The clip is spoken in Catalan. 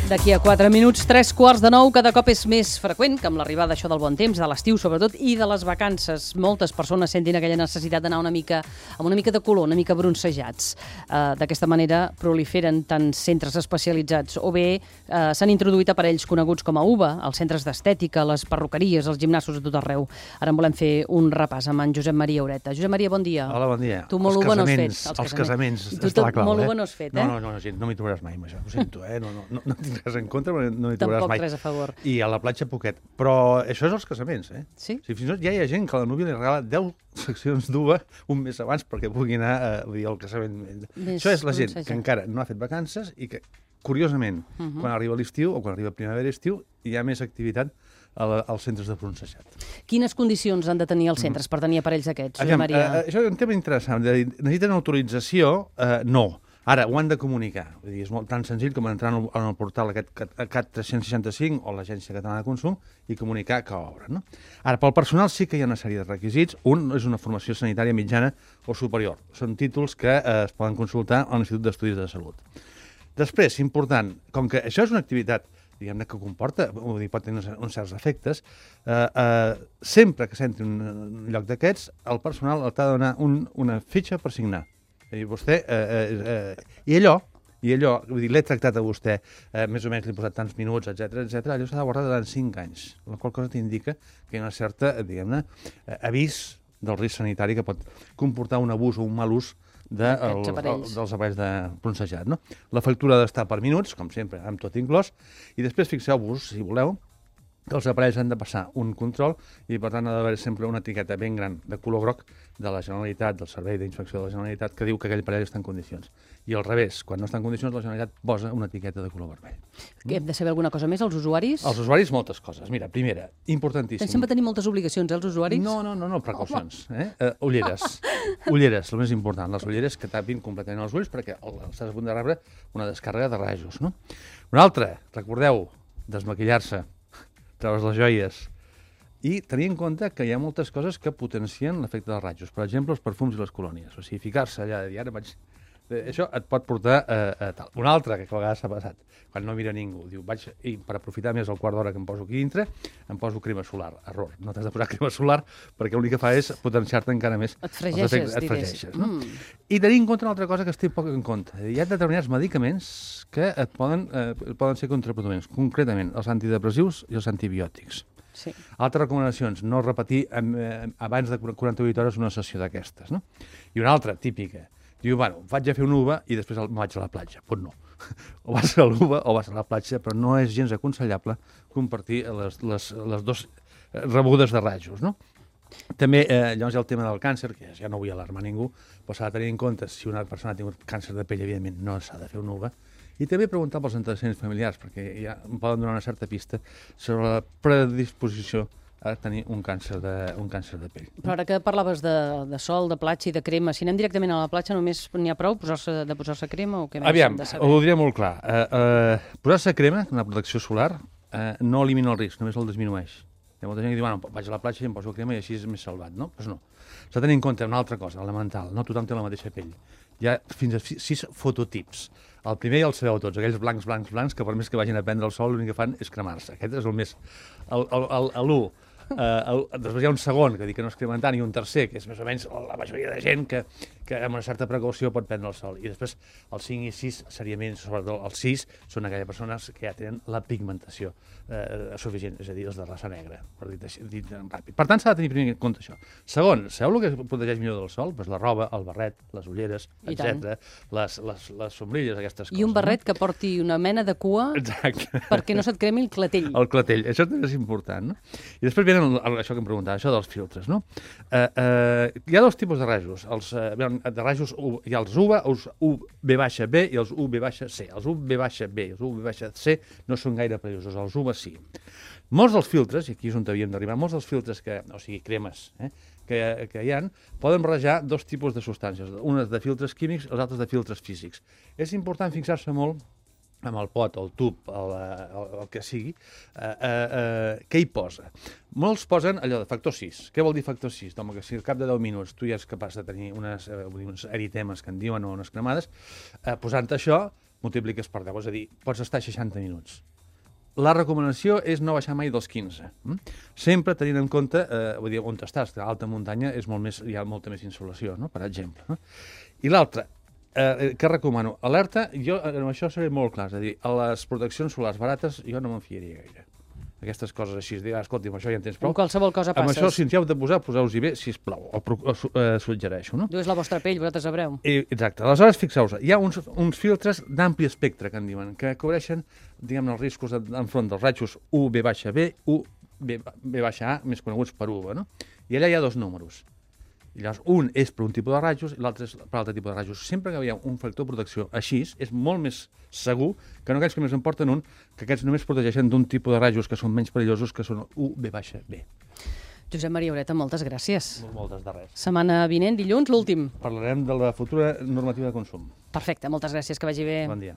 D'aquí a 4 minuts, 3:15, cada cop és més freqüent que amb l'arribada això del bon temps, de l'estiu sobretot, i de les vacances, moltes persones sentin aquella necessitat d'anar amb una mica de color, una mica bronzejats. D'aquesta manera proliferen tant centres especialitzats o bé s'han introduït aparells coneguts com a UVA, els centres d'estètica, les perruqueries, els gimnasos a tot arreu. Ara en volem fer un repàs amb en Josep Maria Ureta. Josep Maria, bon dia. Hola, bon dia. Tu molt UVA no has fet. Els casaments, I tu tot molt UVA no has fet, eh? No, gent, no m'hi trobaràs mai amb això. Ho sento, no tinc res en contra, però no hi trobaràs Tampoc mai. res a favor. I a la platja poquet. Però això és els casaments, eh? Sí? Fins i tot ja hi ha gent que a la núvia li regala 10 seccions d'UVA un mes abans perquè pugui anar al casament. Això és la gent que encara no ha fet vacances i que, curiosament, quan arriba l'estiu o quan arriba primavera i estiu, hi ha més activitat als centres de bronzejat. Quines condicions han de tenir els centres per tenir aparells d'aquests, Josep Maria? Això és un tema interessant. Necessiten autorització? No. Ara, ho han de comunicar. Vull dir, és tan senzill com entrar en el portal aquest CAT 365 o l'Agència Catalana de Consum i comunicar que obren. No? Ara, pel personal sí que hi ha una sèrie de requisits. Un és una formació sanitària mitjana o superior. Són títols que es poden consultar a l'Institut d'Estudis de Salut. Després, important, com que això és una activitat diguem-ne que comporta, pot tenir uns certs efectes, sempre que s'entri en un lloc d'aquests, el personal t'ha de donar una fitxa per signar. I vostè, i allò, vull dir, l'he tractat a vostè, més o menys li he posat tants minuts, etc, allò s'ha de guardar durant 5 anys, la qual cosa t'indica que hi ha una certa, diguem-ne, avís del risc sanitari que pot comportar un abús o un mal ús dels aparells de bronzejat. No? La factura ha d'estar per minuts, com sempre, amb tot inclòs, i després fixeu-vos, si voleu, que els aparells han de passar un control i, per tant, ha d'haver sempre una etiqueta ben gran de color groc de la Generalitat, del Servei d'Inspecció de la Generalitat, que diu que aquell aparell està en condicions. I al revés, quan no està en condicions, la Generalitat posa una etiqueta de color vermell. Hem de saber alguna cosa més, els usuaris? Els usuaris, moltes coses. Mira, primera, importantíssim. Pensem que tenim moltes obligacions, els usuaris? No, precaucions. Ulleres. Ulleres, el més important. Les ulleres que tapin completament els ulls perquè estàs a punt de rebre una descàrrega de rajos. No? Una altra, recordeu, desmaquillar-se, treure's les joies i tenir en compte que hi ha moltes coses que potencien l'efecte dels rajos. Per exemple, els perfums i les colònies. O sigui, ficar-se allà de dir, ara vaig... Això et pot portar a tal. Una altra, que a vegades s'ha passat, quan no mira ningú, diu, i per aprofitar més el quart d'hora que em poso aquí dintre, em poso crema solar. Error, no t'has de posar crema solar perquè l'únic que fa és potenciar-te encara més. Et fregeixes, no? I tenir en compte una altra cosa que es té poc en compte. Hi ha determinats medicaments que poden ser contraproduents, concretament els antidepressius i els antibiòtics. Sí. Altres recomanacions, no repetir abans de 48 hores una sessió d'aquestes. No? I una altra, típica, diu, bueno, vaig a fer un UVA i després me'n vaig a la platja. Doncs no. O vas a l'UVA o vas a la platja, però no és gens aconsellable compartir les dues rebudes de rajos, no? També, llavors hi ha el tema del càncer, que ja no vull alarmar ningú, però s'ha de tenir en compte si una persona ha tingut càncer de pell, evidentment no s'ha de fer un UVA. I també preguntar pels antecedents familiars, perquè ja em poden donar una certa pista sobre la predisposició a tenir un càncer de pell. Però ara que parlaves de sol, de platja i de crema, si anem directament a la platja només n'hi ha prou de posar-se crema o què més hem de saber? Ho diré molt clar. Posar-se crema, una protecció solar, no elimina el risc, només el disminueix. Hi ha molta gent que diu, bueno, vaig a la platja i em poso crema i així és més salvat, no? Doncs no. S'ha de tenir en compte una altra cosa, elemental, no tothom té la mateixa pell. Hi ha fins a 6 fototips. El primer ja el sabeu tots, aquells blancs, que per més que vagin a prendre el sol l'únic que fan és cremar-se. Aquest és el més... l'1. Després hi ha un segon, que dic que no es cremen tant, i un tercer, que és més o menys la majoria de gent que amb una certa precaució pot prendre el sol. I després el 5 i 6, seriament, sobretot el 6, són aquelles persones que ja tenen la pigmentació suficient, és a dir, els de raça negra, per dir ràpid. Per tant, s'ha de tenir primer en compte això. Segon, sabeu el que protegeix millor del sol? Pues la roba, el barret, les ulleres, etc. Les sombrilles, aquestes coses. I un barret que porti una mena de cua perquè no se't cremi el clatell. El clatell, això també és important, no? I després això que em preguntava, això dels filtres, no? Hi ha dos tipus de rajos. De rajos hi ha els UVA, els UV-B i els UV-C. Els UV-B i els UV-C no són gaire perillosos, els UVA sí. Molts dels filtres, i aquí és on havíem d'arribar, molts dels filtres, o sigui, cremes, que hi ha, poden barrejar dos tipus de substàncies, unes de filtres químics i les altres de filtres físics. És important fixar-se molt amb el pot, el tub, el que sigui, què hi posa. Molts posen allò de factor 6. Què vol dir factor 6? Home, que si al cap de 10 minuts tu ja ets capaç de tenir uns eritemes que en diuen o unes cremades, posant això multipliques per 10, és a dir, pots estar 60 minuts. La recomanació és no baixar mai dels 15. Sempre tenint en compte, vull dir, on estàs, que a alta muntanya hi ha molta més insolació, no? Per exemple. No? I l'altre, que recomano? Alerta, jo amb això seré molt clar, és a dir, a les proteccions solars barates jo no me'n fiaria gaire. Aquestes coses així, dir, escolti, amb això ja en tens prou. Amb qualsevol cosa passes. Amb això, si ens hi heu de posar, poseu-vos-hi bé, sisplau, o suggereixo, no? Diu, és la vostra pell, vosaltres sabreu. Exacte. Aleshores, fixeu-vos, hi ha uns filtres d'ampli espectre, que en diuen, que cobreixen, diguem, els riscos enfront dels rajos UV-B, UV-A, més coneguts per UV, no? I allà hi ha dos números. I llavors, un és per un tipus de rajos i l'altre és per altre tipus de rajos. Sempre que hi ha un factor de protecció així, és molt més segur que no aquells que més en porten un, que aquests només protegeixen d'un tipus de rajos que són menys perillosos, que són UV-B. Josep Maria Ureta, moltes gràcies. Moltes de res. Setmana vinent, dilluns, l'últim. Parlarem de la futura normativa de consum. Perfecte, moltes gràcies, que vagi bé. Bon dia.